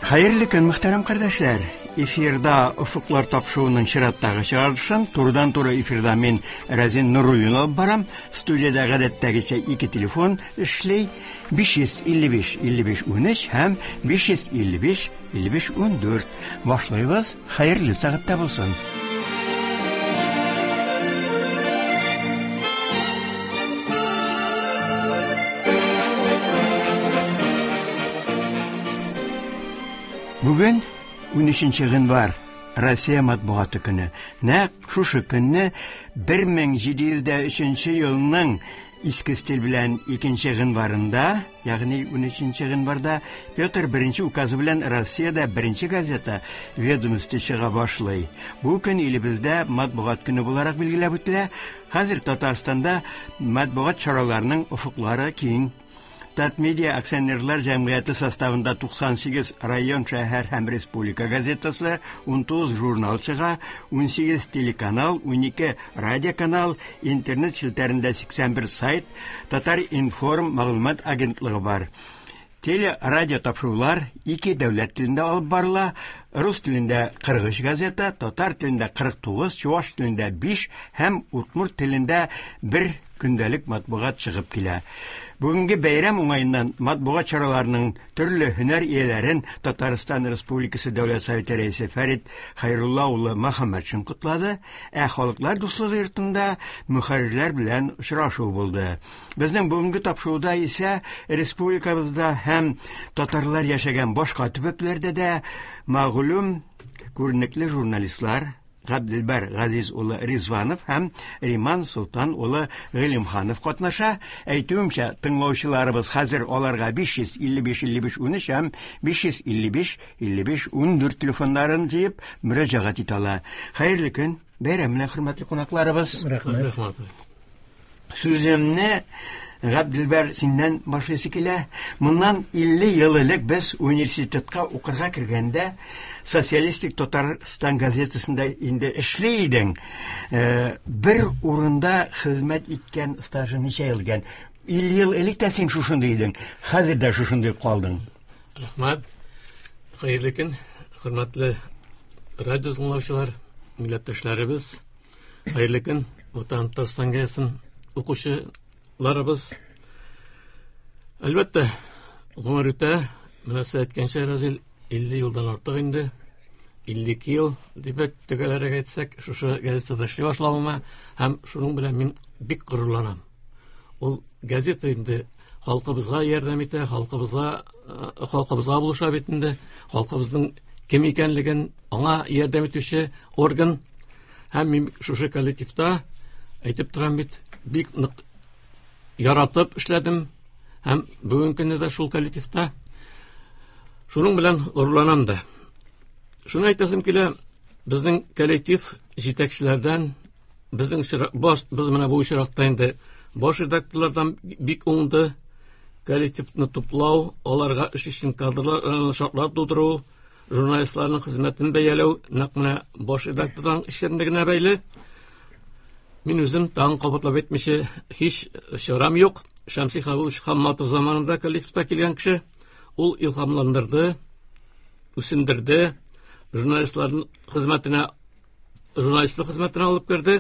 Хәерле көн, мөхтәрәм кардәшләр! Эфирда Офыклар тапшыруының чираттагы чыгарылышын турыдан-туры эфирда мин Разин Нуруллин алып барам. Студиядә гадәттәгечә ике телефон эшли. 555 55 13 һәм 555 55 14. Башлыйбыз. Хәерле сәгатьтә булсын. Бүген 13 гыйнвар, Россия матбугаты көне. Нәкъ шушы көнне 1703 елның иске стиль белән 2 гыйнварында, ягъни 13 гыйнварда Петр I указы белән Россиядә беренче газета Ведомости чыга башлый. Бу көн илебездә матбугат көне буларак билгеләп үтелә. Хәзер Татарстанда матбугат чараларының офыклары киң. Татмедиа акционерлар җәмгыяте составында 98 район, шәһәр һәм республика газетасы, 19 журнал чыга, 18 телеканал, 12 радиоканал, интернет челтәрендә 81 сайт, Татар-информ мәгълүмат агентлыгы бар. Теле радио тапшырулар ике дәүләт телендә алып барыла. Рус телендә 43 газета, татар телендә 49, чуваш телендә 5 һәм удмурт телендә 1 көндәлек матбугат чыгып килә. Бүгенге бәйрәм уңаеннан матбугат чараларының төрле һөнәр ияләрен Татарстан Республикасы Дәүләт Советы рәисе Фәрит Хәйрулла улы Мөхәммәтшин котлады, ә Халыклар дуслыгы йортында мөхәррирләр белән очрашу булды. Безнең бүгенге тапшыруда исә республикабызда һәм татарлар яшәгән башка төбәкләрдә дә мәгълүм күренекле журналистлар Габделбәр Газиз улы Ризванов һәм Риман Солтан улы Гыйлемханов катнаша. Әйтүемчә, тыңлаучыларыбыз хәзер аларга 555 55 13 һәм 555 55 14 телефоннарын җыеп мөрәҗәгать итә ала. Хәерле көн, бәйрәм белән, хөрмәтле кунакларыбыз. Рәхмәт. Сүземне Габделбәр синнән башлыйсы килә. Моннан 50 ел элек без университетка укырга кергәндә Социалистик Татарстан газетасында инде эшли идең. Бер урында хезмәт иткән стажы ничә ел икән? 50 ел элек тә син шушындый идең, хәзер дә шушындый калдың. Рәхмәт. Хәерле көн, хөрмәтле радио тыңлаучылар, милләттәшләребез. Хәерле көн, Ватан Татарстан газетасын укучыларыбыз. Әлбәттә, гомер үтә. Менә сез әйткәнчә, Разил, 50 елдан артык инде. 52 ел дип төгәлрәк әйтсәк, шушы газетада эшли башлавыма һәм шуның белән мин бик горурланам. Ул газета инде халкыбызга ярдәм итә, халкыбызга халкыбызга булыша бит инде. Халкыбызның кем икәнлеген аңа ярдәм итүче орган. Һәм мин шушы коллективта әйтеп торам бит, бик нык яратып эшләдем. Һәм бүгенге көндә дә шул коллективта. Шуның белән горурланам да. Шуны әйтәсем килә, безнең коллектив җитәкчеләрдән, безнең баш, без менә бу очракта инде баш редакторлардан бик уңды. Коллективны туплау, аларга эш өчен кадрлар, шартлар тудыру, журналистларның хезмәтен бәяләү нәкъ менә баш редактордан эшчәнлегенә бәйле. Мин үзем тагын кабатлап әйтмичә һич чарам юк. Шәмси Хабулович Хамматов заманында коллективта килгән кеше, ул илһамландырды, үсендерде, журналистларның хезмәтенә, журналистлык хезмәтенә алып керде.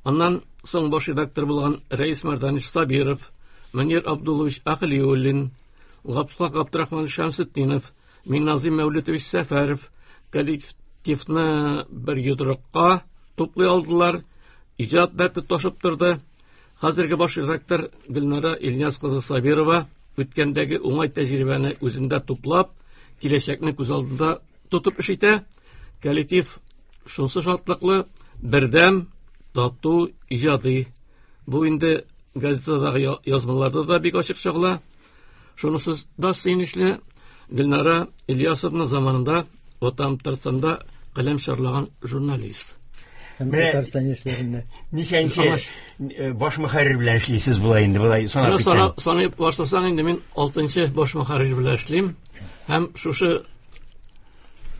Аннан соң баш редактор булган Рәис Мәрданович Сабиров, Мөнир Абдуллович Ахлиуллин, Габдулла Габдрахманович Шәмсетдинов, Минназим Мәүлетович Сәфәров коллективны бер йодрыкка туплый алдылар. Иҗат дәрте ташып торды. Хәзерге баш редактор Гөлнара Ильяс кызы Сабирова үткәндәге уңай тәҗрибәне үзендә туплап, киләчәкне күз алдында тотып эш итә. Коллектив шунсы шатлыклы, бердәм, тату, иҗади. Бу инде газетадагы язмаларда да бик ачык чагыла. Шунысы да сөенечле, Гөлнара Ильясовна заманында Ватан Татарстанда каләм чарлаган журналист. Татарстан яшьләрендә. Ничәнче баш мөхәррир белән эшлисез болай инде, болай санап китсәң? Санап башласаң инде мин 6нчы баш мөхәррир белән эшлим. Һәм шушы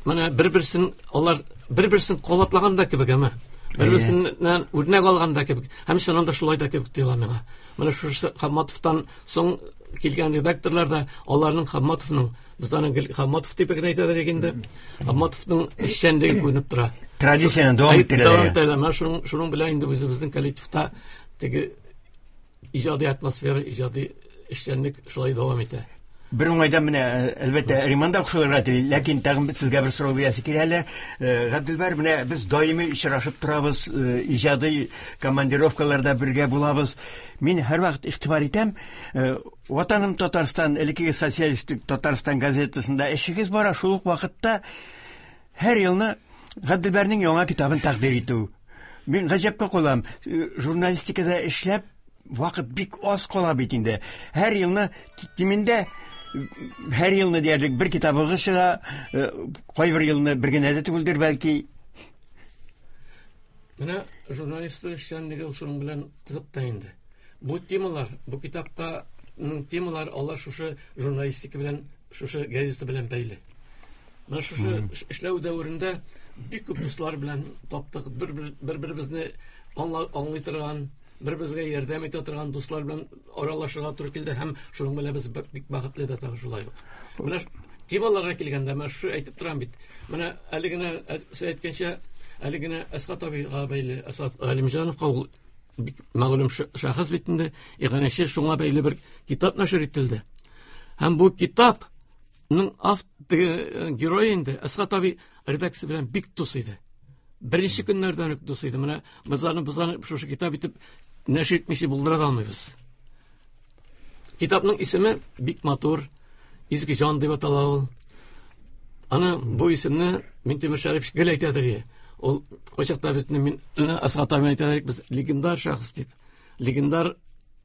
менә бер-берсен алар бер-берсен кабатлаган да кебек, әмма бер-берсеннән үрнәк алган да кебек. Һәм чыннан да шулай да кебек тоела миңа. Менә шушы Хамматовтан соң килгән редакторлар да аларның Хамматовның, без аны гел Хамматов дип генә әйтәләр инде. Хамматовның эшчәнлеге күренеп тора. Традицияне дәвам иттерәләр. Дәвам итәләр. Менә шуның белән инде үзебезнең коллективта теге иҗади атмосфера, иҗади эшчәнлек шулай дәвам итә. Бер уңайдан менә, әлбәттә, Риман да кушылырга тели, ләкин тагын сезгә бер сорау бирәсе килә әле. Габделбәр, менә без даими очрашып торабыз, иҗади командировкаларда бергә булабыз. Мин һәрвакыт игътибар итәм, Ватаным Татарстан, элеккеге Социалистик Татарстан газетасында эшегез бара, шул ук вакытта һәр елны Габделбәрнең яңа китабын тәкъдир итү. Мин гаҗәпкә калам, журналистикада эшләп вакыт бик аз кала бит инде. Һәр елны кимендә һәр елны диярлек бер китабыгыз чыга, кайбер елны бер генә дә түгелдер бәлки. Менә журналистлык эшчәнлеге шуның белән кызык та инде. Бу темалар, бу китапта темалар алар шушы журналистика белән, шушы газета белән бәйле. Менә шушы эшләү дәверендә бик күп дуслар белән таптык, бер-беребезне аңлый торган, бер-беребезгә ярдәм итә торган дуслар белән аралашырга туры килде һәм шуның белән без бик бәхетле дә тагы шулай ук. Менә темаларга килгәндә, менә шушы әйтеп торам бит. Менә әле генә сез әйткәнчә, әле генә Әсгать абыйга бәйле, Әсгать Галимҗановка ул бик мәгълүм шәхес бит инде, иганәче, шуңа бәйле бер китап нәшер ителде. Һәм бу китапның герое инде Әсгать абый редакция белән бик дус иде. Беренче көннәрдән үк дус иде. Менә без аны шушы китап итеп нәшер итмичә булдыра да алмыйбыз. Китапның исеме бик матур, Изге җан дип атала ул. Аны бу исемне Минтимер Шәрипович гел әйтәдер. Ул кайчакта бит мин Әсгать абый әйтәдер, без легендар шәхес дип. Легендар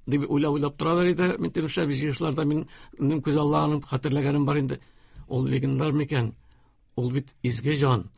дип уйлап торалар иде. Минтимер Шәрипович җыелышларда минем күз алларым хәтерләгәнем бар инде. Ул легендар микән? Ул бит изге җан.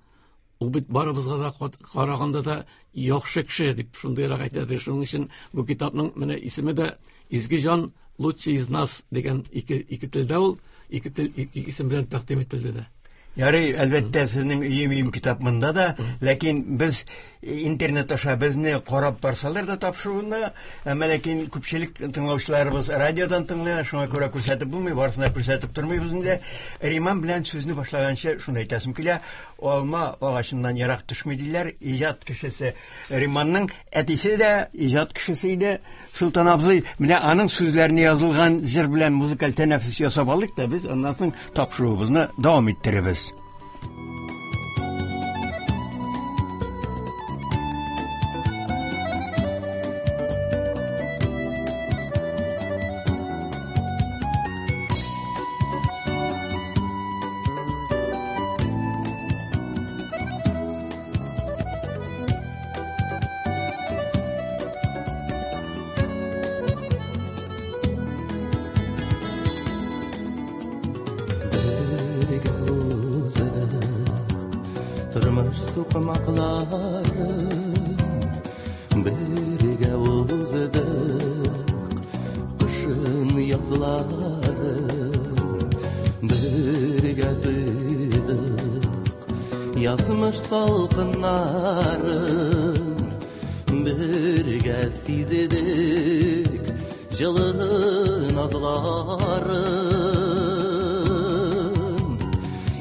Ул бит барыбызга да караганда да яхшы кеше дип шундыйрак әйтәдер. Шуның өчен бу китапның менә исеме дә Изге җан лучший из нас дигән ике телдә ул, ике тел, ике исем белән тәкъдим ителде дә. Ярый, әлбәттә, сезнең өем-өем китап монда да, ләкин без интернет аша безне карап барсалар да тапшыруны, әмма ләкин күпчелек тыңлаучыларыбыз радиодан тыңлый, шуңа күрә күрсәтеп булмый, барысына күрсәтеп тормыйбыз инде. Риман белән сүзне башлаганчы шуны әйтәсем килә, алма агачыннан ерак төшми диләр, иҗат кешесе Риманның әтисе дә иҗат кешесе иде. Солтан абзый, менә аның сүзләренә язылган җыр белән музыкаль тәнәфес ясап алдык та без аннан соң тапшыруыбызны дәвам иттеребез. Тормыш сукмакларын бергә уздык, кышын язларын бергә тойдык, язмыш салкыннарын бергә сизедек, җылы назларын.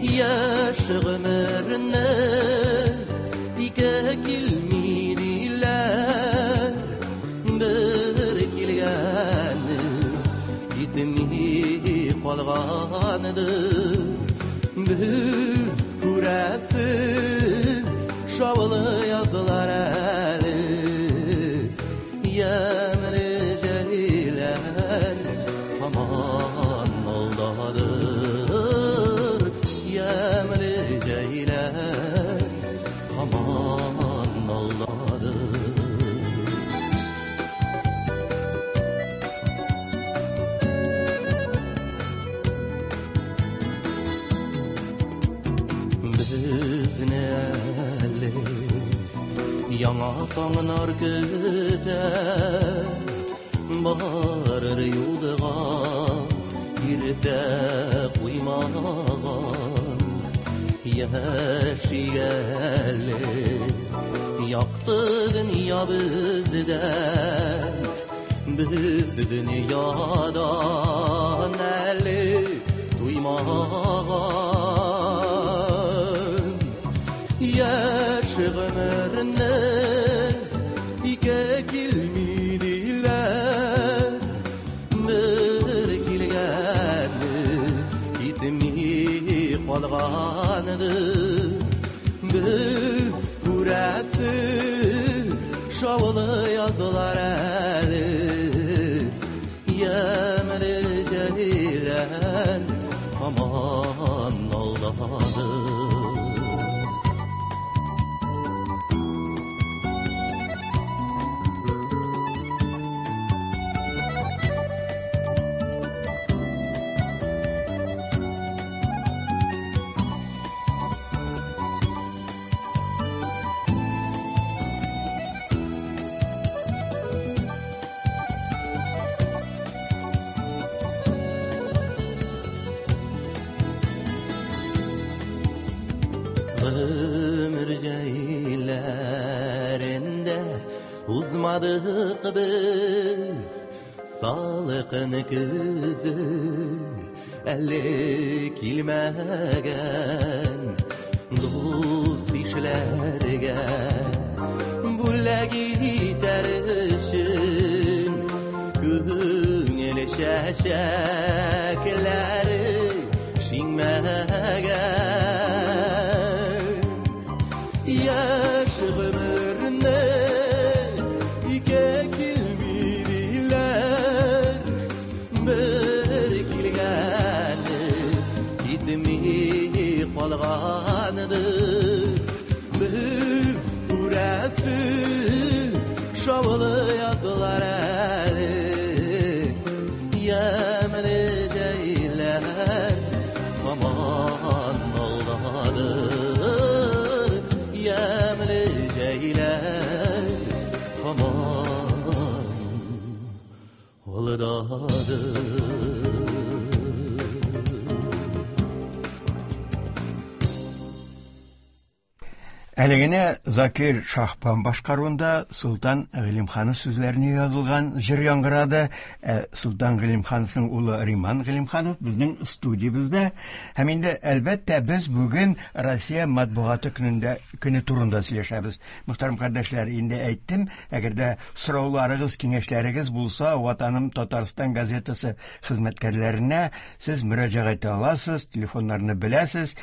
Яшь гомерне ике килми диләр, бер килгәне китми калгандыр. Без күрәсең шаулы язлар әле, ямьле җәйләр һаман алдадыр, ямьле җәйләр һаман алдадыр. Безне әле яңа таңнар көтә, барыр юлга иртә куймаган. Яши әле якты дөнья бездә, Без дөньядан әле туймаган. Яшь гомерне ике килми диләр, бер килгәне китми калганыдыр. Без күрәсе шаулы язлар әле, ямьле җәйләр һаман алдадыр. Гомер җәйләрендә узмадык без, салкын көзе әле килмәгән. Дус-ишләргә бүләк итәр өчен күңел чәчәкләре шиңмәгән. Яшь гомерне ике килми диләр, бер килгәне китми калганыдыр. Без күрәсе шаулы язлар әле, ямьле җәйләр һаман алдадыр, ямьле җәйләр һаман алдадыр. Әле генә Закир Шаһбан башкаруында Солтан Гыйлемханов сүзләренә язылган җыр яңгырады. Солтан Гыйлемхановның улы Риман Гыйлемханов безнең студиябездә. Һәм инде, әлбәттә, без бүген Россия матбугаты көне турында сөйләшәбез. Мөхтәрәм кардәшләр, инде әйттем, әгәр дә сорауларыгыз, киңәшләрегез булса, Ватаным Татарстан газетасы хезмәткәрләренә сез мөрәҗәгать итә аласыз, телефоннарны беләсез.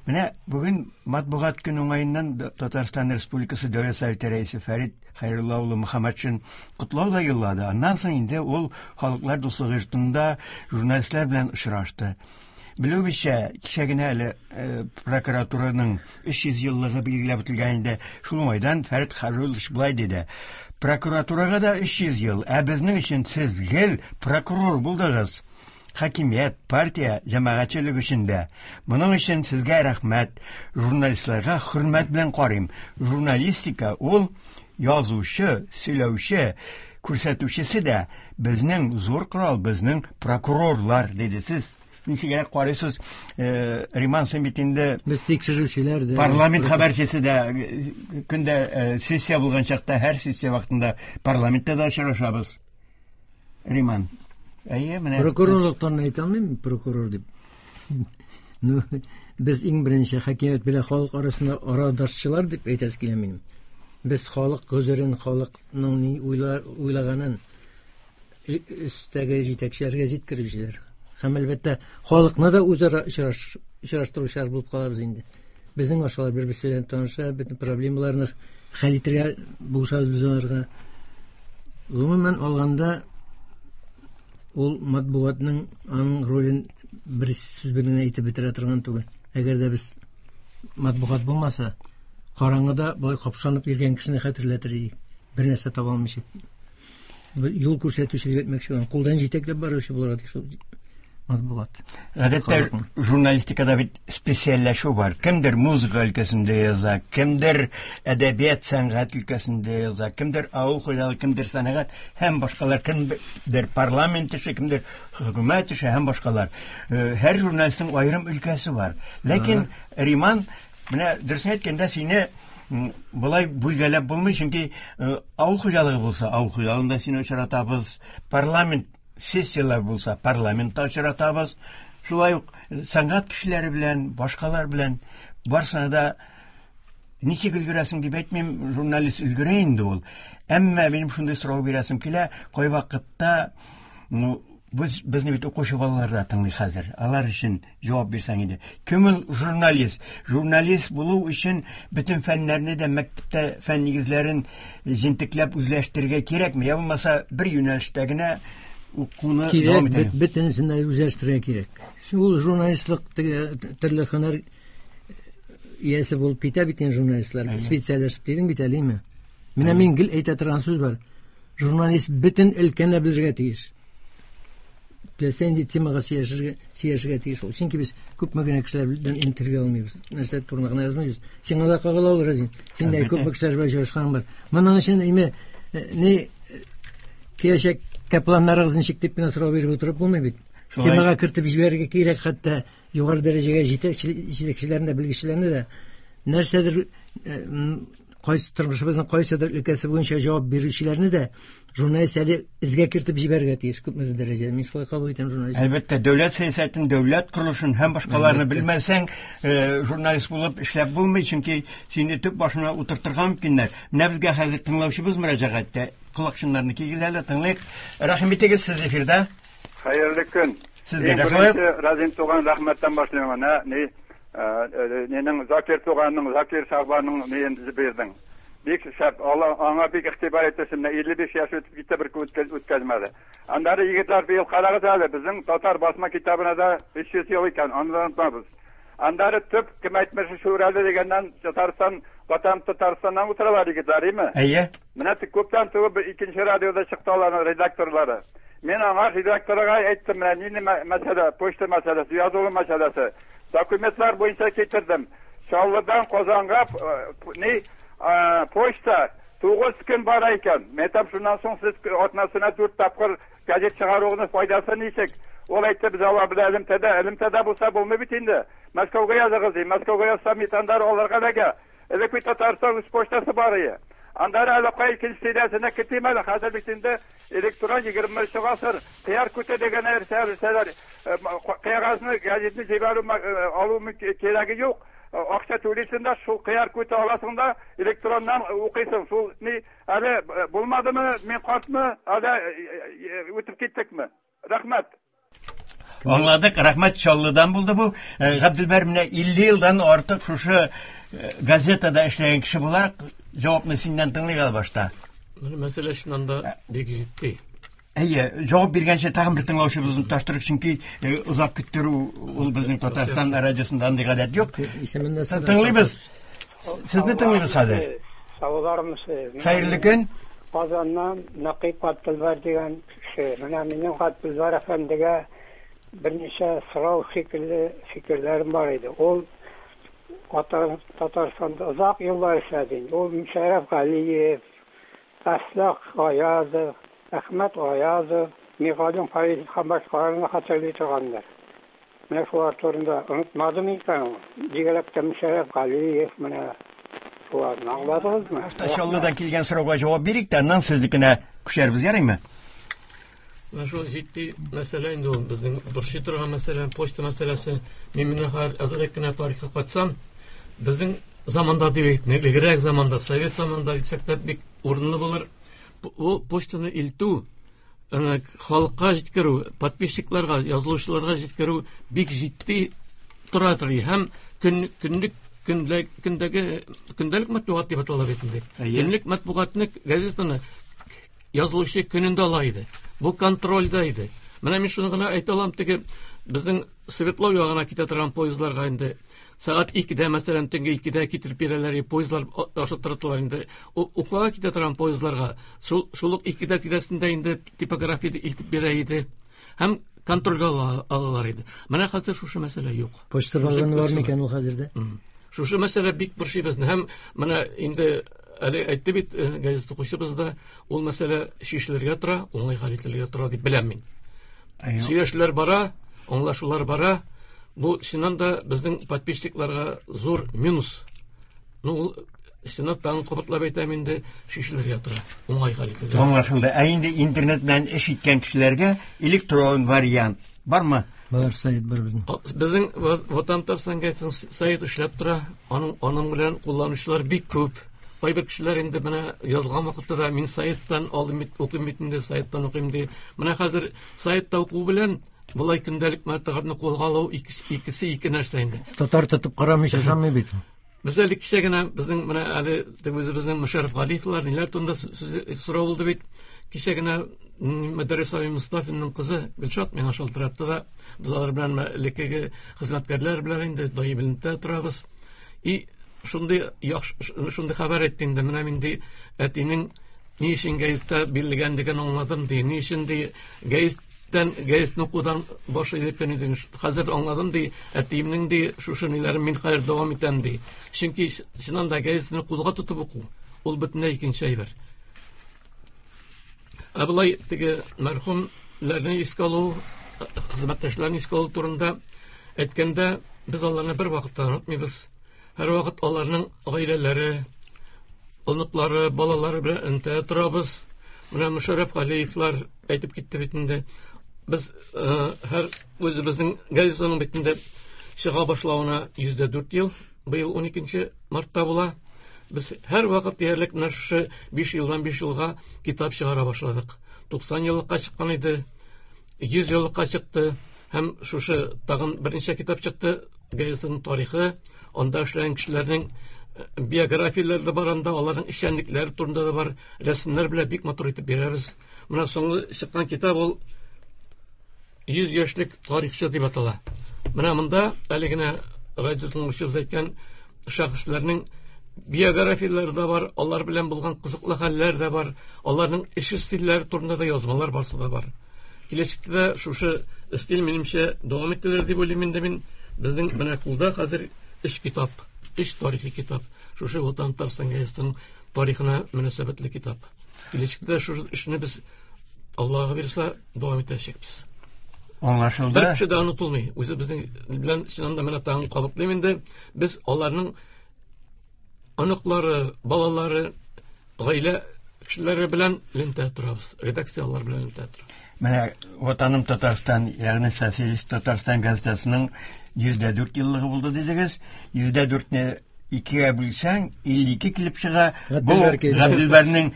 Менә бүген матбугат көне уңаеннан Татарстан Республикасы Дәүләт Советы рәисе Фәрит Хәйрулла улы Мөхәммәтшин котлау да юллады. Аннан соң инде ул Халыклар дуслыгы йортында журналистлар белән очрашты. Белүебезчә, кичә генә әле прокуратураның 300 еллыгы билгеләп үтелгән инде. Шул уңайдан Фәрит Хәйруллович болай диде: Прокуратурага да 300 ел, ә безнең өчен сез гел прокурор булдыгыз. Хакимият, партия, җәмәгатьчелек өчен дә. Моның өчен сезгә рәхмәт. Журналистларга хөрмәт белән карыйм. Журналистика ул язучы, сөйләүче, күрсәтүчесе дә безнең зур корал, безнең прокурорлар, диде. Сез ничегрәк карыйсыз? Риман, син бит инде Без тикшерүчеләр дә. Парламент хәбәрчесе дә, көндә сессия булган чакта, һәр сессия вакытында парламентта да очрашабыз. Риман. Әйе, менә. Прокурорлыктан әйтә алмыйм, прокурор дип. Ну, без иң беренче хакимият белән халык арасында арадашчылар дип әйтәсе килә минем. Без халык гозерен, халыкның ни уйлаганын өстәге җитәкчеләргә җиткерүчеләр. Һәм әлбәттә халыкны да үзара очраштыручылар булып калабыз инде. Безнең ашалар бер-берсе белән таныша, бөтен проблемаларны хәл итәргә булышабыз без аларга. Гомумән алганда, ул матбугатның аның ролен бер сүз белән әйтеп бетерә торган түгел. Әгәр дә без матбугат булмаса, караңгыда болай капшанып йөргән кешене хәтерләтер идек. Бер нәрсә таба алмыйча. Юл күрсәтүче дип әйтмәкче булам. Кулдан җитәкләп баручы булырга тиеш ул матбугат. Гадәттә Халыкның. журналистикада бит специальләшү бар. Кемдер музыка өлкәсендә яза, кемдер әдәбият, сәнгать өлкәсендә яза, кемдер авыл хуҗалыгы, кемдер сәнәгать һәм башкалар, кемдер парламент эше, кемдер хөкүмәт эше һәм башкалар. Һәр журналистның аерым өлкәсе бар. Ләкин Риман, менә дөресен әйткәндә, сине Болай бүлгәләп булмый, чөнки авыл хуҗалыгы булса, авыл хуҗалыгында сине очратабыз, парламент сессияләр булса, парламентта очратабыз. Шулай ук сәнгать кешеләре белән, башкалар белән барсына да ничек өлгерәсең дип әйтмим, журналист өлгерә инде ул. Әмма минем шундый сорау бирәсем килә, кайвакытта, ну, без безне бит укучы балалар да тыңлый хәзер. Алар өчен җавап бирсәң иде. Кем ул журналист? Журналист булу өчен бөтен фәннәрне дә мәктәптә фән нигезләрен җентекләп үзләштерергә кирәкме? Я булмаса бер юнәлештә генә укуны дәвам итәргә? Кирәк, бөтенесен дә үзләштерергә кирәк. Ул журналистлык төрле һөнәр иясе булып китә бит инде журналистлар. Специальләшеп дидең бит әле, әйме? Менә мин гел әйтә торган сүз бар. Журналист бөтен өлкәне белергә тиеш. Теләсә нинди темага сөйләшергә, сөйләшергә тиеш ул. Чөнки без күпме генә кешеләр белән интервью алмыйбыз. Нәрсә турында гына язмыйбыз. Сиңа да кагыла ул, Разин. Син дә күпме кешеләр белән очрашканың бар. Моның өчен име ни киләчәккә планнарыгыз ничек дип кенә сорау биреп утырып булмый бит. Темага кертеп җибәрергә кирәк хәтта югары дәрәҗәгә җитәкчеләрне дә, белгечләрне дә нәрсәдер кайсы тормышыбызның кайсыдыр өлкәсе буенча җавап бирүчеләрне дә журналист әле эзгә кертеп җибәрергә тиеш күпмедер дәрәҗәдә. Мин шулай кабул итәм журналист. Әлбәттә, дәүләт сәясәтен, дәүләт корылышын һәм башкаларны белмәсәң, журналист булып эшләп булмый, чөнки сине төп башына утыртырга мөмкиннәр. Менә безгә хәзер тыңлаучыбыз мөрәҗәгать итә. Колакчыннарны кигез әле, тыңлыйк. Рәхим итегез, сез эфирда. Хәерле көн. Сезгә дә шулай. Разин туган рәхмәттән башлыйм. Менә ни нинең Закир туганның, Закир Шахбаның ниен бирдең. Бик шәп, алла аңа бик игътибар итте, менә 55 яшь үтеп китте, бер үткәзмәде. Аннары егетләр быел карагыз әле, безнең татар басма китабына да 300 ел икән, аны да онытмабыз. Аннары төп кем әйтмешли Шүрәле дигәннән Татарстан, Ватан Татарстаннан утыралар егетләр, име? Әйе. Менә тик күптән түгел бер икенче радиода чыкты аларның редакторлары. Мин аңа редакторга әйттем, менә нинди мәсьәлә, почта мәсьәләсе, язылу мәсьәләсе. Документлар буенча китердем. Чаллыдан Казанга ни почта 9 көн бара икән. Мен әйтәм, шуннан соң сез атнасына 4 тапкыр газет чыгаруының файдасы ничек? Ул әйтте, без алар белән элемтәдә, элемтәдә булса булмый бит инде. Мәскәүгә языгыз, ди. Мәскәүгә язсам, бит аннары аларга эләгә. Элек бит Татарстан үз почтасы бар иде. Аннары әле кай икенче сериясенә кертим әле. Хәзер бит инде электрон 21 гасыр. Кыяр күте дигән нәрсә белсәләр, кәгазьне, газетны җибәрү алу кирәге юк. Акча түлисең дә, шул кыяр күте аласың да, электроннан укыйсың. Шул ни әле булмадымы, мин картмы, әле үтеп киттекме? Рәхмәт. Аңладык, рәхмәт, Чаллыдан булды бу. Габделбәр, менә 50 елдан артык шушы газетада эшләгән кеше буларак, җавапны синнән тыңлыйк әле башта. Менә мәсьәлә чыннан да бик җитди. Әйе, җавап биргәнче тагын бер тыңлаучыбызны тоташтырыйк, чөнки озак көттерү ул безнең Татарстан радиосында андый гадәт юк. Тыңлыйбыз. Сезне тыңлыйбыз хәзер. Саулармысыз? Хәерле көн. Казаннан Нәкыйп Габделбәр дигән кеше. Менә минем Габделбәр әфәндегә берничә сорау шикелле фикерләрем бар иде. Ул Татарстанда озак еллар эшләде инде. Ул Мөшәрәф Галиев, Әслах Гаязов, Әхмәт Гаязов, Мигалим Фаизов һәм башкаларны хәтерли торгандыр. Менә шулар турында онытмадымы икән ул? Бигрәк тә Мөшәрәф Галиев, менә шуларны аңладыгызмы? Башта Чаллыдан килгән сорауга җавап бирик тә, аннан сезнекенә күчәрбез, ярыймы? Менә шул җитди мәсьәлә инде ул, безнең борчый торган мәсьәлә, почта мәсьәләсе. Мин менә хәзер әзрәк кенә тарихка кайтсам, безнең заманда дип әйтмә, элегрәк заманда, совет заманында дисәк тә бик урынлы булыр. Ул почтаны илтү, халыкка җиткерү, подписчикларга, язылучыларга җиткерү бик җитди тора тори. Һәм көнлек, көнлек, көндәге, көндәлек матбугат дип атала бит инде. Көнлек матбугатны, газетаны язылучы көнендә ала иде. Бу контрольдә иде. Менә мин шуны гына әйтә алам, теге безнең Свердлов ягына китә торган поездларга инде сәгать 2-дә, мәсәлән, төнге 2-дә китереп бирәләр, поездлар ашыттыртылар инде. Уфага китә торган поездларга шул ук 2-дә тирәсендә инде типографияда илтеп бирә иде. Һәм контрольгә алалар иде. Менә хәзер шушы мәсьәлә юк. Почта вагоны бар микән ул хәзердә? Шушы мәсьәлә бик борчый безне. Һәм менә инде әле әйтте бит газета укучыбыз да, ул мәсьәлә чишелергә тора, уңай хәл ителергә тора дип беләм мин. Сөйләшүләр бара, аңлашулар бара. Бу чыннан да безнең подписчикларга зур минус. Ну, ул Чынлап тагын кабатлап әйтәм инде, чишелергә тора, уңай хәл ителергә. Аңлашылды. Ә инде интернет белән эш иткән кешеләргә электрон вариант бармы? Бар, сайт бар безнең. Безнең Ватан Татарстан газетасының сайты эшләп тора. Аның белән кулланучылар бик күп. Кайбер кешеләр инде менә язган вакытта да мин сайттан алдым бит, укыйм бит инде, сайттан укыйм ди. Менә хәзер сайтта уку белән болай көндәлек матбугатны кулга алу икесе ике нәрсә инде. Татар тотып карамыйча ышанмый бит. Без әле кичә генә безнең менә әле үзебезнең Мөшәррәф Галиевлар ниләр турында сүз сорау булды бит. Кичә генә Мөдәррис абый Мостафинның кызы Гөлшат миңа шалтыратты да, без алар белән элеккеге хезмәткәрләр белән инде даими элемтәдә торабыз. И шундый яхшы, шундый хәбәр әйтте инде, менә мин ди әтинең ни өчен гәзиттә бирелгәнлеген аңладым ди, ни өчен ди гәзиттән гәзитне укудан баш илеккән идем, хәзер аңладым ди, әтиемнең ди шушы ниләрен мин хәзер дәвам итәм ди. Чөнки чыннан да гәзитне кулга тотып уку ул бөтенләй икенче әйбер. Ә болай теге мәрхүмнәрне искә алу, хезмәттәшләрне искә алу турында әйткәндә, без аларны бер вакытта онытмыйбыз. Һәр вакыт аларның гаиләләре, оныклары, балалары белән элемтәдә торабыз. Менә Мөшәррәф Галиевлар әйтеп китте бит инде. Без һәр үзебезнең газетаның бит инде чыга башлавына 104 ел, быел 12 мартта була. Без һәр вакыт диярлек менә шушы 5 елдан 5 елга китап чыгара башладык. 90 еллыкка чыккан иде, 100 еллыкка чыкты һәм шушы тагын берничә китап чыкты. Газетаның тарихы, анда эшләгән кешеләрнең биографияләре дә бар анда, аларның эшчәнлекләре турында да бар, рәсемнәр белән бик матур итеп бирәбез. Менә соңгы чыккан китап ул 100 яшьлек тарихчы дип атала. Менә монда әле генә радио тыңлаучыбыз әйткән шәхесләрнең биографияләре дә бар, алар белән булган кызыклы хәлләр дә бар, аларның эш стильләре турында да язмалар барсы да бар. Киләчәктә дә шушы стиль минемчә дәвам ителер дип уйлыйм инде мин. Безнең менә кулда хәзер 3 китап, 3 тарихи китап. Шушы Ватан Татарстан газетасының тарихына мөнәсәбәтле китап. Киләчәктә шушы эшне без Аллаһ бирсә дәвам итәчәкбез. Аңлашылды. Бер кеше дә онытылмый. Үзебезнең белән чыннан да менә тагын кабатлыйм инде. Без аларның оныклары, балалары, гаилә кешеләре белән элемтәдә торабыз. Редакция алар белән элемтәдә тора. Менә Ватаным Татарстан, ягъни Социалист Татарстан газетасының 104 еллыгы булды дидегез. 104-не икегә бүлсәң, 52 килеп чыга. Бу Габделбәрнең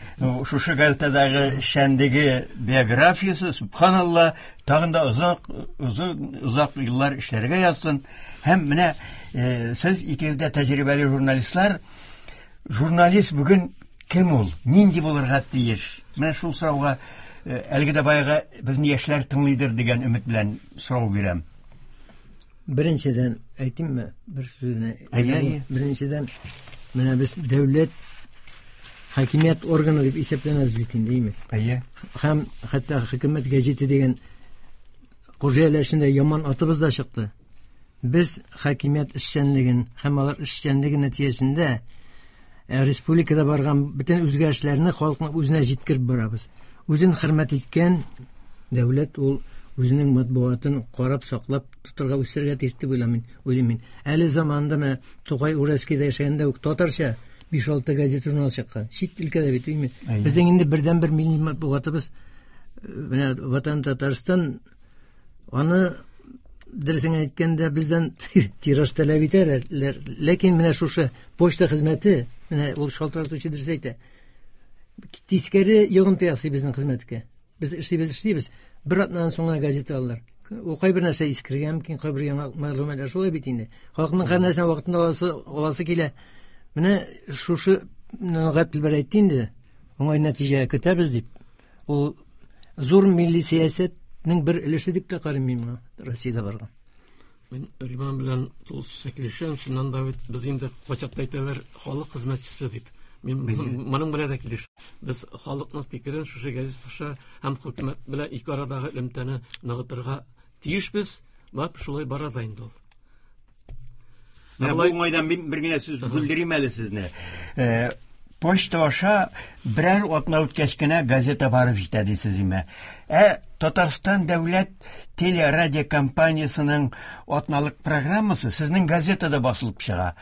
шушы газетадагы эшчәнлеге биографиясе, субханалла, тагын да озак, озын, озак еллар эшләргә язсын. Һәм менә сез икегез дә тәҗрибәле журналистлар. Журналист бүген кем ул? Нинди булырга тиеш? Менә шул сорауга әлеге дә баягы безне яшьләр тыңлыйдыр дигән өмет белән сорау бирәм. Беренчедән әйтимме бер сүзне? Әйе, әйе. Беренчедән, менә без дәүләт хакимият органы дип исәпләнәбез бит инде, әйеме? Әйе. Һәм хәтта хөкүмәт гәзите дигән Кужияләр эчендә яман атыбыз да чыкты. Без хакимият эшчәнлеген һәм алар эшчәнлеге нәтиҗәсендә республикада барган бөтен үзгәрешләрне халыкның үзенә җиткереп барабыз. Үзен хөрмәт иткән дәүләт ул үзенең матбугатын карап, саклап тотарга, үстерергә тиеш дип уйлыйм мин. Әле заманында менә Тукай Уральскийда яшәгәндә үк татарча 5-6 газета журнал чыккан. Чит өлкәдә бит, әйеме? Әйе. Безнең инде бердәнбер милли матбугатыбыз менә Ватан Татарстан, аны дөресен әйткәндә бездән тираж таләп итәләр. Ләкин менә шушы почта хезмәте, менә ул шалтыратучы дөрес әйтә, тискәре йогынты ясый безнең хезмәткә. Без эшлибез, эшлибез. Бер атнадан соң гына газета алалар. Ул кайбер нәрсә искергән мөмкин, кайбер яңа мәгълүматлар шулай бит инде. Халыкның һәр нәрсәне вакытында аласы килә. Менә шушы Габделбәр әйтте инде, уңай нәтиҗә көтәбез дип. Ул зур милли сәясәтнең бер өлеше дип тә карыйм мин моңа, Россиядә барган. Мин Риман белән тулысынча килешәм. Чыннан да бит без инде кайчакта әйтәләр халык хезмәтчесе дип. Мин моның белән дә килешәм. Без халыкның фикерен шушы газета аша һәм хөкүмәт белән ике арадагы элемтәне ныгытырга тиешбез. Бап шулай бара да инде ул. Менә бу уңайдан мин бер генә сүз бүлдерим әле сезне. Почта аша берәр атна үткәч кенә газета барып җитә дисез име? Ә Татарстан дәүләт телерадиокомпаниясенең атналык программасы сезнең газетада басылып чыга.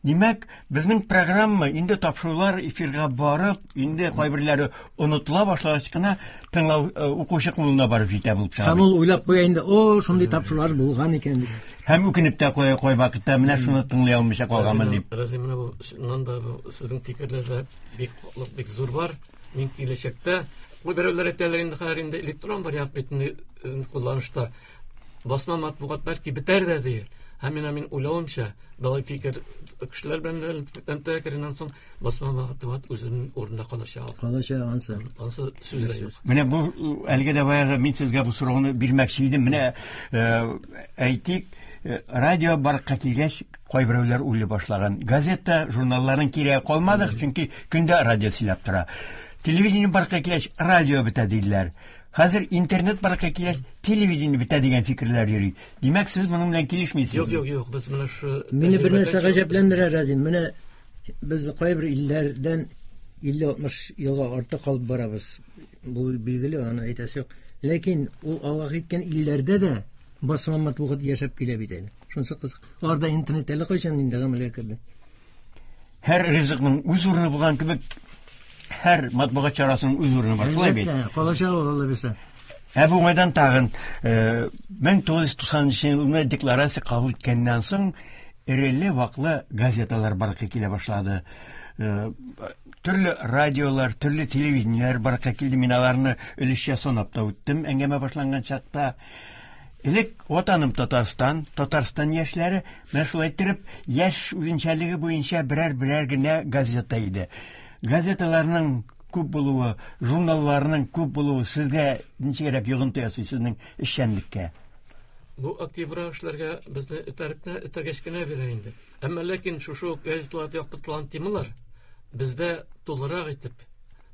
Димәк, безнең программа инде тапшырулар эфирга барып, инде кайберләре онытыла башлагач кына тыңлау укучы кулына барып җитә булып чыга. Һәм ул уйлап куя инде, о, шундый тапшырулар булган икән дип. Һәм үкенеп тә куя кай вакытта, менә шуны тыңлый алмыйча калганмын дип. Разил, менә бу чыннан да бу сезнең фикерләрдә бик хаклык, бик зур бар. Мин киләчәктә бу берәүләр әйтәләр инде хәзер инде электрон вариант бит инде кулланышта. Басма матбугат бәлки бетәр дә дияр. Һәм менә мин уйлавымча, болай фикер кешеләр белән элемтәгә кергәннән соң басма матбугат үзенең урынында калачак. Калачак ансы. Ансы сүз дә юк. Менә бу әлеге дә баягы мин сезгә бу сорауны бирмәкче идем. Менә әйтик, радио барлыкка килгәч, кайберәүләр уйлый башлаган. Газета, журналларның кирәге калмады, чөнки көндә радио сөйләп тора. Телевидение барлыкка килгәч, радио бетә диделәр. Хәзер интернет барлыкка килгәч, телевидение бетә дигән фикерләр йөри. Димәк, сез моның белән килешмисез. Юк, юк, юк, без менә шу Мине бер нәрсә гаҗәпләндерә, Разин. Менә без кайбер илләрдән 50-60 елга артта калып барабыз. Бу билгеле, аны әйтәсе юк. Ләкин ул алга киткән илләрдә дә басма матбугат яшәп килә бит әле. Шунысы кызык. Аларда интернет әле кайчан инде гамәлгә керде. Һәр ризыкның үз урыны булган кебек, һәр матбугат чарасының үз урыны бар. Шулай бит? Әлбәттә, калачак ул, Алла бирсә. Ә бу уңайдан тагын 1990 елны декларация кабул иткәннән соң эреле-ваклы газеталар барлыкка килә башлады. Төрле радиолар, төрле телевидениеләр барлыкка килде. Мин аларны өлешчә санап та үттем әңгәмә башланган чакта. Элек Ватаным Татарстан, Татарстан яшьләре менә шулай иттереп яшь үзенчәлеге буенча берәр-берәр генә газета иде. Газеталарның күп булуы, журналларның күп булуы сезгә ничегрәк йогынты ясый сезнең эшчәнлеккә? Бу активрак эшләргә безне этәргеч кенә бирә инде. Әмма ләкин шушы ук газеталарда яктыртылган темалар бездә тулырак итеп,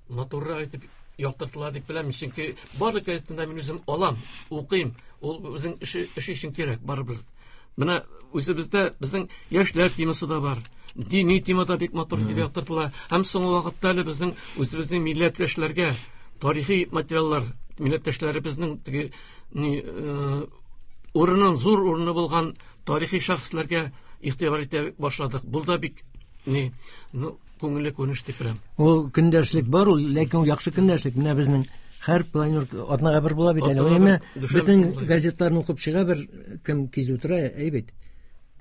матуррак итеп яктыртыла дип беләм. Чөнки барлык газетаны мин үзем алам, укыйм. Ул үзең эше өчен кирәк барыбер. Менә үзебездә безнең яшьләр темасы да бар. Дини тема да бик матур итеп яктыртыла. Һәм соңгы вакытта әле безнең үзебезнең милләттәшләргә тарихи материаллар, милләттәшләребезнең теге ни урынын, зур урыны булган тарихи шәхесләргә игътибар итә башладык. Бу да бик ни, ну, күңелле күренеш дип беләм. Ул көндәшлек бар, ул, ләкин ул яхшы көндәшлек. Менә безнең һәр планер атнага бер була бит әле. Атнага Әмма бер, дүшәмбе бөтен була. газетларны укып чыга бер кем кизү тора, әйбәт.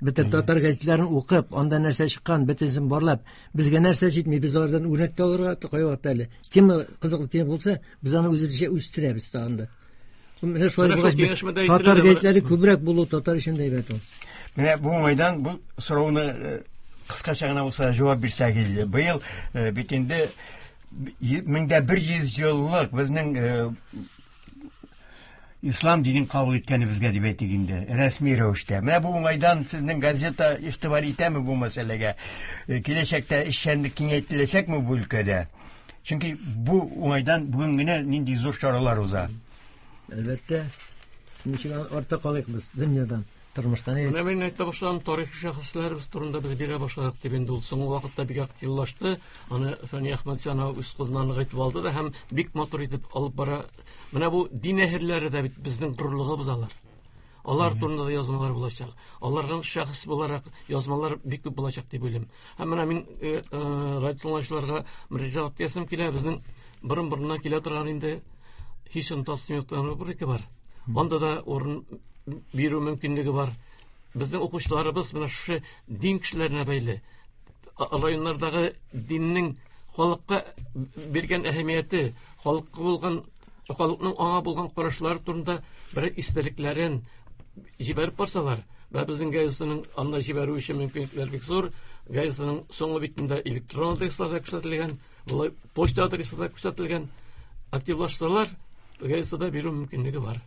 Бөтен татар газетларын укып, анда нәрсә чыккан, бөтенсен барлап, безгә нәрсә җитми, без алардан үрнәк тә алырга кайвакытта әле. Тема кызыклы тема булса, без аны үзебезчә үстерәбез тагын да. Менә шулай Менә шул булгач, киңәшмәдә татар әйтелә дә, газетләре күбрәк булу татар өчен дә әйбәт ул. Менә бу уңайдан бу сорауны кыскача гына булса җавап бирсәгез иде. Быел бит инде 1100 еллык безнең ислам динен кабул иткәнебезгә дип әйтик инде, рәсми рәвештә. Менә бу уңайдан сезнең газета игътибар итәме бу мәсьәләгә? Киләчәктә эшчәнлек киңәйтеләчәкме бу өлкәдә? Чөнки бу уңайдан бүген генә нинди зур чаралар уза. Әлбәттә, ничек артта калыйк без дөньядан, тормыштан. Менә мин әйтә башладым, тарихи шәхесләребез турында без бирә башладык дип инде ул соңгы вакытта бик активлашты. Аны Фәния Әхмәтҗанова үз кулына ныгытып алды да һәм бик матур итеп алып бара. Менә бу дин әһелләре дә бит безнең горурлыгыбыз алар. Алар турында да язмалар булачак. Аларга шәхес буларак язмалар бик күп булачак дип уйлыйм. Һәм менә мин радио тыңлаучыларга мөрәҗәгать итәсем килә. Безнең борын-борыннан килә торган инде һич онытасым юк дигән рубрика бар. Анда да урын бирү мөмкинлеге бар. Безнең укучыларыбыз менә шушы дин кешеләренә бәйле. Районнардагы диннең халыкка биргән әһәмияте, халыкка булган, халыкның аңа булган карашлары турында бер истәлекләрен җибәреп барсалар, вә безнең газетаның анда җибәрү өчен мөмкинлекләр бик зур. Газетаның соңгы битендә электрон адреслар да күрсәтелгән, болай почта адресы да күрсәтелгән. Активлашсалар, газетада бирү мөмкинлеге бар.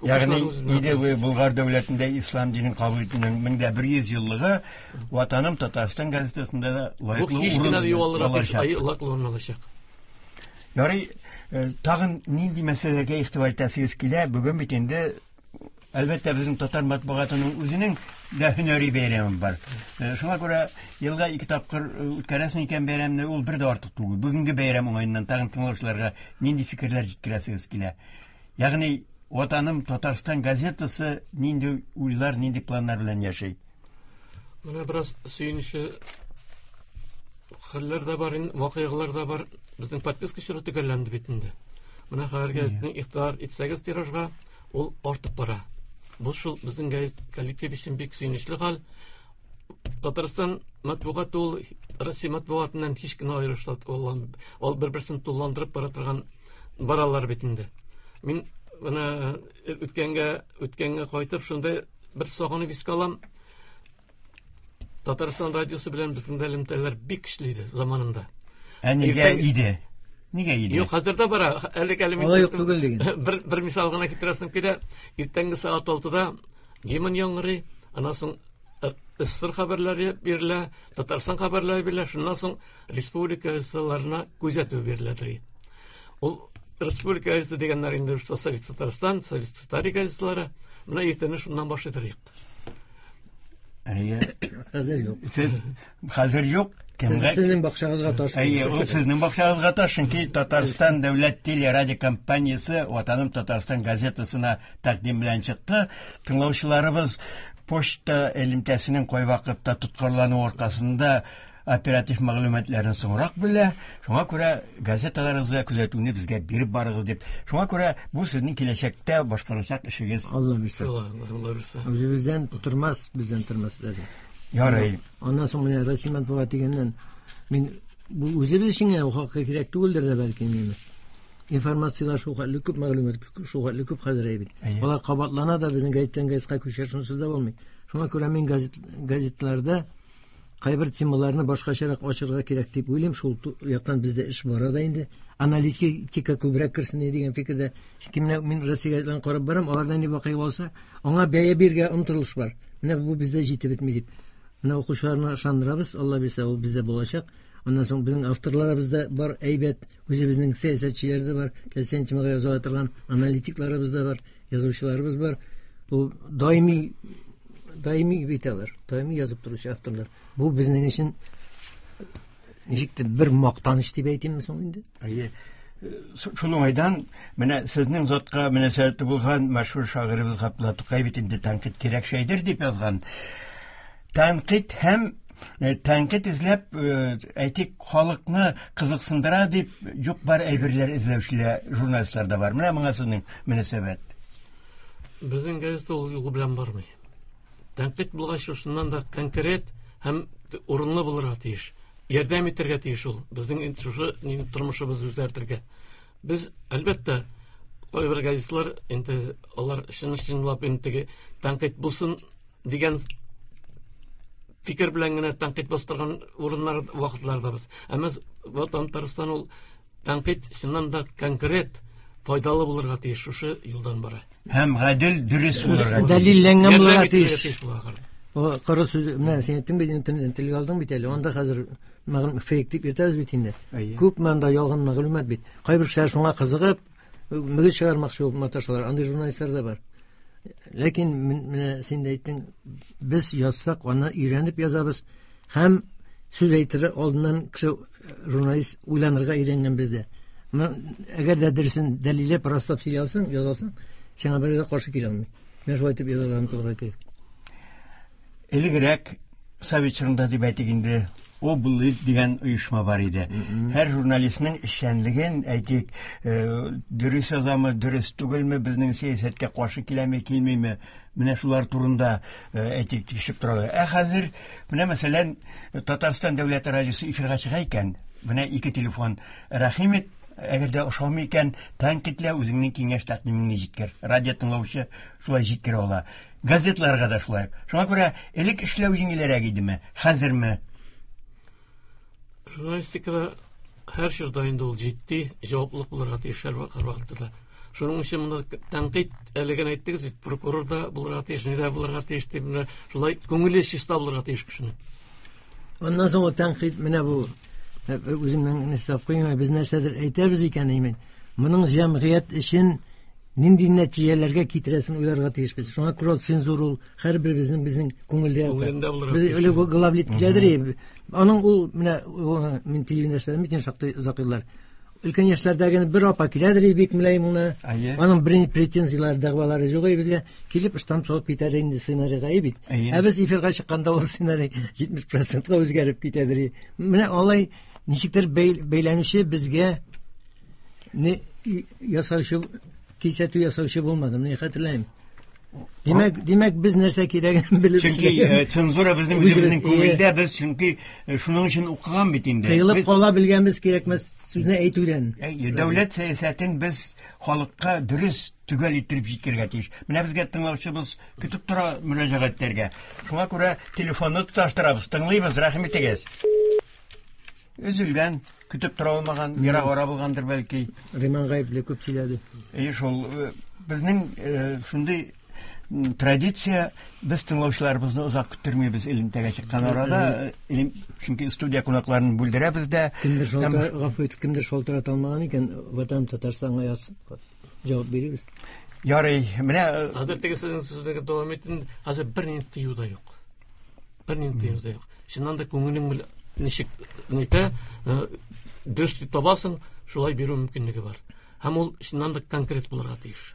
Ягъни Укучылар үзенә Идел буе Болгар дәүләтендә ислам динен кабул итүнең 1100 еллыгы Ватаным Татарстан газетасында да Бу лаеклы һич урын кенә дә югалырга тиеш, алачак. ай, лаеклы урын алачак. Ярый, тагын нинди мәсьәләгә игътибар итәсегез килә? Бүген бит инде әлбәттә безнең татар матбугатының үзенең дә һөнәри бәйрәме бар. Шуңа күрә елга 2 тапкыр үткәрәсең икән бәйрәмне, ул бер дә артык түгел. Бүгенге бәйрәм уңаеннан тагын тыңлаучыларга нинди фикерләр җиткерәсегез килә? Ягъни Ватаным Татарстан газетасы нинди уйлар, нинди планнар белән яши? Менә бераз сөенечле хәлләр дә бар, вакыйгалар да бар. Безнең подписка чоры төгәлләнде бит инде. Менә хәзер газетны игътибар итсәгез тиражга, ул артып бара. Бу шул безнең газет коллектив өчен бик сөенечле хәл. Татарстан матбугаты ул Россия матбугатыннан һич кенә аерылыш ул бер-берсен тулыландырып бара торган баралар бит инде. Мин менә үткәнгә кайтып шундай бер сагынып искә алам. Татарстан радиосы белән безнең дә элемтәләр бик көчле иде заманында. Ә нигә иде? Нигә иде? Юк, хәзер дә бара. Әле әле мин Алай юк түгел диген. Бер мисал гына китерәсем килә. Иртәнге сәгать 6-да гимн яңгырый, аннан соң СССР хәбәрләре бирелә, Татарстан хәбәрләре бирелә, шуннан соң республика газеталарына күзәтү бирелә. Ул республика газеты дигәннәр инде Совет Татарстан, Совет Татария газеталары. Менә иртәне шуннан башлый. Әйе. Хәзер юк. Сез хәзер юк. Кемгә? Сезнең бакчагызга таш. Әйе, ул сезнең бакчагызга таш, чөнки Татарстан дәүләт телерадиокомпаниясе Ватаным Татарстан газетасына тәкъдим белән чыкты. Тыңлаучыларыбыз почта элемтәсенең кайвакытта тоткарлануы аркасында оператив мәгълүматларын соңрак белә. Шуңа күрә газеталарыгызга күзәтүне безгә биреп барыгыз дип. Шуңа күрә бу сезнең киләчәктә башкарачак эшегез. Алла бирсә. Алла бирсә. Үзебездән тормас, бездән тормас бездән. Ярый. Аннан соң менә Россия матбугат дигәннән мин бу үзебез өчен генә ул хакка кирәк түгелдер дә бәлки инде. Информацияләр шул хәтле күп, мәгълүмат шул хәтле күп хәзер бит. Алар кабатлана да, безнең газеттан газетка күчә, шунсыз да булмый. Шуңа күрә мин газетларда кайбер темаларны башкачарак ачырга кирәк дип уйлыйм. Шул яктан бездә эш бара да инде. Аналитика күбрәк керсен дигән фикердә. Чөнки менә мин Россия газетларын карап барам, аларда ни вакыйга булса, аңа бәя бирергә омтылыш бар. Менә бу бездә җитеп бетми дип. Менә укучыларны ышандырабыз, Алла бирсә, ул бездә булачак. Аннан соң безнең авторларыбыз да бар, әйбәт, үзебезнең сәясәтчеләр дә бар, теләсә темага яза торган аналитикларыбыз да бар, язучыларыбыз бар. Бу даими бит алар, даими язып торучы авторлар. Бу безнең өчен ничектер бер мактаныч дип әйтимме соң инде? Әйе. Шул уңайдан менә сезнең затка мөнәсәбәте булган мәшһүр шагыйребез Габдулла Тукай бит инде тәнкыйть кирәк шәйдер дип язган. Тәнкыйть һәм тәнкыйть эзләп, әйтик, халыкны кызыксындыра дип юк бар әйберләр эзләүчеләр журналистлар да бар. Менә моңа сезнең мөнәсәбәт. Безнең газета ул юлы белән бармый. Тәнкыйть булгач, шуннан да конкрет һәм урынлы булырга тиеш. Ярдәм итәргә тиеш ул. Безнең шушы тормышыбызны үзгәртергә. Без, әлбәттә, кайбер газетлар инде алар чын-чынлап инде тәнкыйть булсын дигән фикер белән генә тәнкыйть бастырган урыннар вакытларда без. Әмма Ватан Татарстан ул тәнкыйть чыннан да конкрет файдалы булырга тиеш, шушы юлдан бара. Һәм гадел, дөрес булырга тиеш. Дәлилләнгән булырга тиеш. О, коры сүз, менә син әйттең бит, телгә алдың бит әле. Анда хәзер фейк дип йөртәбез бит инде. Күп монда ялган мәгълүмат бит. Кайбер кешеләр шуңа кызыгып, мөгез чыгармакчы булып маташалар. Андый журналистлар да бар. Ләкин менә син дә әйттең, без язсак, аны өйрәнеп язабыз. Һәм сүз әйтер алдыннан кеше журналист уйланырга өйрәнгән бездә. Әгәр дә дөресен дәлилләп, раслап сөйли алсаң, язасың, сиңа берәү дә каршы килә алмый. Менә шулай итеп язарга омтылырга кирәк. Элегрәк Совет чорында дип әйтик инде, облит дигән оешма бар иде. Һәр журналистның эшчәнлеген, әйтик, дөрес язамы, дөрес түгелме, безнең сәясәткә каршы киләме, килмиме, менә шулар турында әйтик, тикшереп торалар. Ә хәзер, менә мәсәлән, Татарстан дәүләт радиосы эфирга чыга икән, менә ике телефон. Рәхим ит, әгәр дә ошамый икән, тәнкыйтьлә, үзеңнең киңәш тәкъдимеңне җиткер. Радио тыңлаучы шулай җиткерә ала. Газетларга да шулай. Шуңа күрә элек эшләү җиңелрәк идеме, хәзерме? Журналистикада һәр чорда инде ул җитди җаваплылык булырга тиеш һәр вакытта да. Шуның өчен монда тәнкыйть әле генә әйттегез бит, прокурор да булырга тиеш, ни дә булырга тиеш дип, менә шулай күңеле чиста булырга тиеш кешенең. Аннан соң ул тәнкыйть менә бу үземнең нәрсә куймай, без нәрсәдер әйтәбез икән, имин. Моның җәмгыять өчен нинди нәтиҗәләргә китерәсен уйларга тиешбез. Шуңа күрә цензура ул һәрберебезнең безнең күңелдә ята. Күңелендә булырга Без тиеш. элек главлит киләдер, аның ул менә мин телевидениедә эшләдем бит инде шактый озак еллар. Өлкән яшьләрдәге бер апа киләдер бик мөлаем генә. Әйе. Аның бернинди претензияләре, дәгъвалары юк ие безгә. Килеп штамп салып китәр инде сценарийга ие бит. Әйе. Ә без эфирга чыкканда ул сценарий 70%ка үзгәреп китәдер. ие. Менә алай ничектер бәйләнүче безгә не ясаучы, кисәтү ясаучы булмады. Менә хәтерләмим. Димәк, без нәрсә кирәген белеп Чөнки эшләгән. цензура безнең Үзебез, үзебезнең күңелдә, без чөнки шуның өчен укыган бит инде. Тыелып Без- кала белгәнбез кирәкмәс сүзне әйтүдән. Әйе, дәүләт сәясәтен без халыкка дөрес төгәл иттереп җиткерергә тиеш. Менә безгә тыңлаучыбыз көтеп тора мөрәҗәгатьләргә. Шуңа күрә телефонны тоташтырабыз, тыңлыйбыз, рәхим итегез. Өзелгән, көтеп тора алмаган, ерак ара булгандыр бәлки. Риман гаепле күп сөйләде. Әйе, шул безнең шундый традиция, без тыңлаучыларыбызны озак көттермибез элемтәгә чыккан арада, чөнки студия кунакларын бүлдерәбез дә. Кемдер Һәм шалтыра, гафу ит, кемдер шалтырата алмаган икән, Ватан Татарстанга язсын. Җавап бирербез. Ярый, менә Хәзер теге сезнең сүзегезне дәвам итин, хәзер бернинди тыю да юк. Бернинди тыю да юк. Чыннан да күңелең белән ничек нитә, дөрес дип табасың, шулай бирү мөмкинлеге бар. Һәм ул чыннан да конкрет булырга тиеш.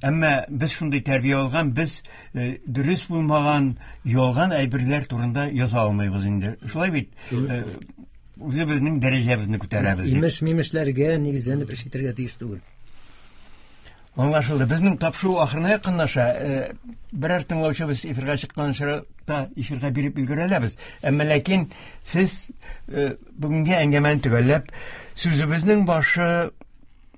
Әмма без шундый тәрбия алган, без дөрес булмаган, ялган әйберләр турында яза алмыйбыз инде. Шулай бит? Үзебезнең дәрәҗәбезне күтәрәбез дип. Имеш-мимешләргә нигезләнеп эш итәргә тиеш түгел. Аңлашылды. Безнең тапшыру ахырына якынлаша. Берәр тыңлаучыбыз эфирга чыккан очракта эфирга биреп өлгерә алабыз. Әмма ләкин сез бүгенге әңгәмәне төгәлләп, сүзебезнең башы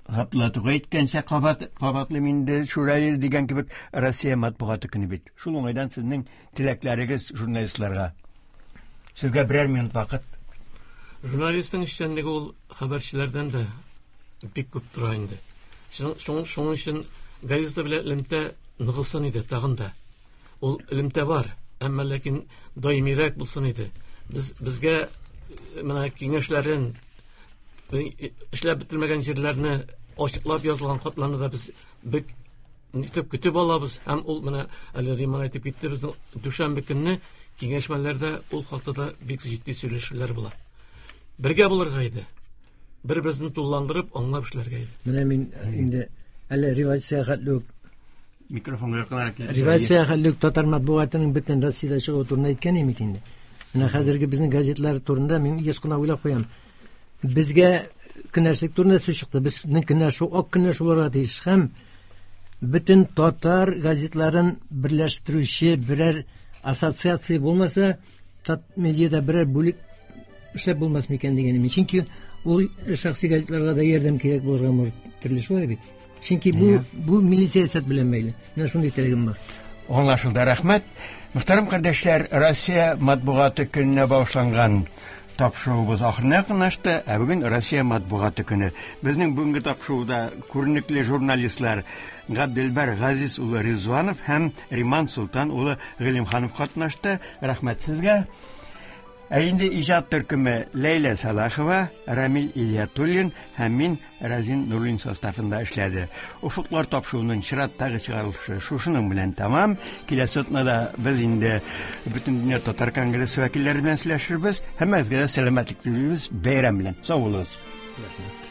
Габдулла Тукай әйткәнчә, кабатлыйм инде, Шүрәле дигән кебек Россия матбугаты көне бит. Шул уңайдан сезнең теләкләрегез журналистларга. Сезгә берәр минут вакыт. Журналистның эшчәнлеге ул хәбәрчеләрдән дә бик күп тора инде. Шуның өчен газета белән элемтә ныгысын иде тагын да. Ул элемтә бар, әмма ләкин даимирәк булсын иде. Безгә менә киңәшләрен, эшләп бетермәгән җирләрне ачыклап язылган хатларны да без бик итеп көтеп алабыз. Һәм ул менә әле Риман әйтеп китте, безнең дүшәмбе көнне киңәшмәләрдә ул хакта да бик җитди сөйләшүләр була. Бергә булырга иде. Бер-беребезне тулыландырып, аңлап эшләргә иде. Менә мин инде әле революция хәтле үк микрофонга якынрак килеп Революция хәтле үк татар матбугатының бөтен Россиядә чыгуы турында әйткән идем бит инде. Менә хәзерге безнең газетлар турында мин еш кына уйлап куям. Безгә көнләшлек турында сүз чыкты. Безнең көнләшү ак көнләшү булырга тиеш һәм бөтен татар газетларын берләштерүче берәр ассоциация булмаса, Татмедиада берәр бүлек эшләп булмас микән дигән идем. Чөнки ул шәхси газетларга да ярдәм кирәк булырга мөмкин төрле шулай бит. Чөнки бу милли сәясәт белән бәйле. Менә шундый теләгем бар. Аңлашылды, рәхмәт. Мөхтәрәм кардәшләр, Россия матбугаты көненә багышланган тапшыруыбыз ахырына якынлашты. Ә бүген Россия матбугаты көне. Безнең бүгенге тапшыруда күренекле журналистлар Габделбәр Газиз улы Ризванов һәм Риман Солтан улы Гыйлемханов катнашты. Рәхмәт сезгә. Ә инде иҗат төркеме Ләйлә Салахова, Рамил Ильятуллин һәм мин Разин Нуруллин составында эшләде. Уфыклар тапшыруының чираттагы чыгарылышы шушының белән тәмам. Киләсе атнада без инде Бөтендөнья татар конгрессы вәкилләре белән сөйләшербез. Һәммәгезгә дә сәламәтлек телибез. Бәйрәм белән. Сау булыгыз. Рәхмәт.